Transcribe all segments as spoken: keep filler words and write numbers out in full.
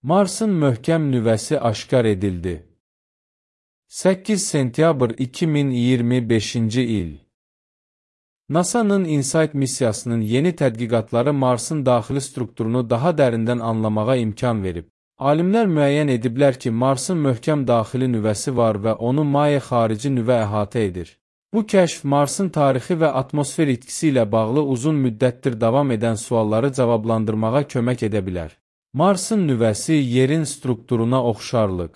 Marsın möhkəm nüvəsi aşkar edildi. səkkiz sentyabr iki min iyirmi beşinci il. NASA'nın InSight missiyasının yeni tədqiqatları Marsın daxili strukturunu daha dərindən anlamağa imkan verib. Alimlər müəyyən ediblər ki, Marsın möhkəm daxili nüvəsi var və onu maye xarici nüvə əhatə edir. Bu kəşf Marsın tarixi və atmosfer itkisi ilə bağlı uzun müddətdir davam edən sualları cavablandırmağa kömək edə bilər. Marsın nüvəsi yerin strukturuna oxşarlıq.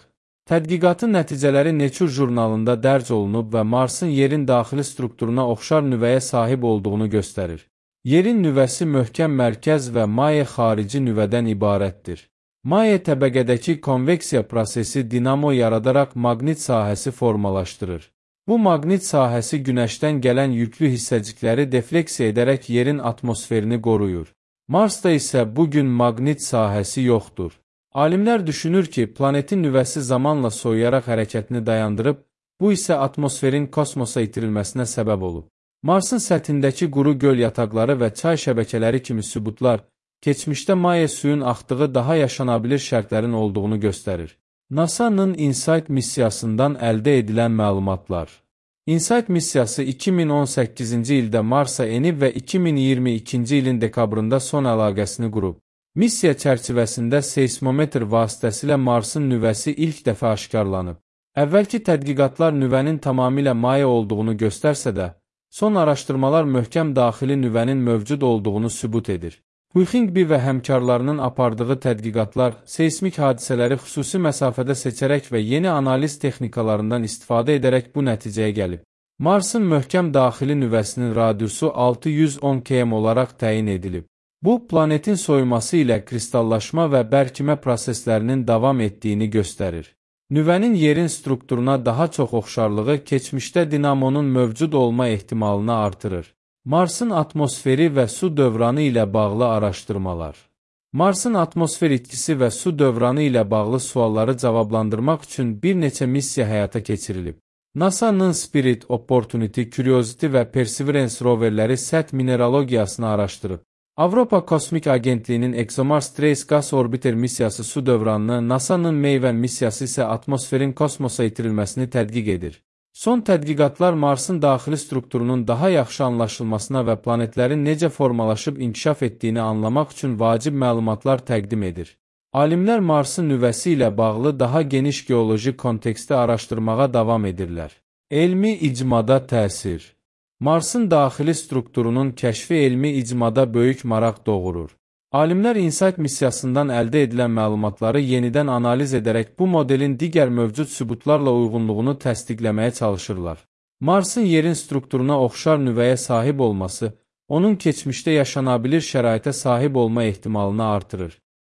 Tədqiqatın nəticələri Nature jurnalında dərc olunub və Marsın yerin daxili strukturuna oxşar nüvəyə sahib olduğunu göstərir. Yerin nüvəsi möhkəm mərkəz və maye xarici nüvədən ibarətdir. Maye təbəqədəki konveksiya prosesi dinamo yaradaraq maqnit sahəsi formalaşdırır. Bu maqnit sahəsi günəşdən gələn yüklü hissəcikləri defleksiya edərək yerin atmosferini qoruyur. Marsda isə bugün maqnit sahəsi yoxdur. Alimlər düşünür ki, planetin nüvəsi zamanla soyuyaraq hərəkətini dayandırıb, bu isə atmosferin kosmosa itirilməsinə səbəb olub. Marsın səthindəki quru göl yataqları və çay şəbəkələri kimi sübutlar, keçmişdə maye suyun axdığı daha yaşanabilir şərtlərin olduğunu göstərir. NASA'nın InSight missiyasından əldə edilən məlumatlar. InSight missiyası iki min on səkkizinci ildə Marsa enib və iki min iyirmi ikinci ilin dekabrında son əlaqəsini qurub. Missiya çərçivəsində seismometr vasitəsilə Marsın nüvəsi ilk dəfə aşkarlanıb. Əvvəlki tədqiqatlar nüvənin tamamilə maye olduğunu göstərsə də, son araşdırmalar möhkəm daxili nüvənin mövcud olduğunu sübut edir. Huixingbi və həmkarlarının apardığı tədqiqatlar seismik hadisələri xüsusi məsafədə seçərək və yeni analiz texnikalarından istifadə edərək bu nəticəyə gəlib. Marsın möhkəm daxili nüvəsinin radiusu altı yüz on kilometr olaraq təyin edilib. Bu, planetin soyuması ilə kristallaşma və bərkimə proseslərinin davam etdiyini göstərir. Nüvənin yerin strukturuna daha çox oxşarlığı keçmişdə dinamonun mövcud olma ehtimalını artırır. Marsın atmosferi və su dövranı ilə bağlı araşdırmalar. Marsın atmosfer itkisi və su dövranı ilə bağlı sualları cavablandırmaq üçün bir neçə missiya həyata keçirilib. NASA'nın Spirit, Opportunity, Curiosity və Perseverance roverləri səth mineralogiyasını araşdırıb. Avropa Kosmik Agentliyinin ExoMars Trace Gas Orbiter missiyası su dövranını, NASA'nın Maven missiyası isə atmosferin kosmosa itirilməsini tədqiq edir. Son tədqiqatlar Marsın daxili strukturunun daha yaxşı anlaşılmasına və planetlərin necə formalaşıb inkişaf etdiyini anlamaq üçün vacib məlumatlar təqdim edir. Alimlər Marsın nüvəsi ilə bağlı daha geniş geoloji konteksti araşdırmağa davam edirlər. Elmi icmada təsir. Marsın daxili strukturunun kəşfi elmi icmada böyük maraq doğurur. Alimlər InSight missiyasından əldə edilən məlumatları yenidən analiz edərək bu modelin digər mövcud sübutlarla uyğunluğunu təsdiqləməyə çalışırlar. Marsın yerin strukturuna oxşar nüvəyə sahib olması, onun keçmişdə yaşanabilir şəraitə sahib olma ehtimalını artırır.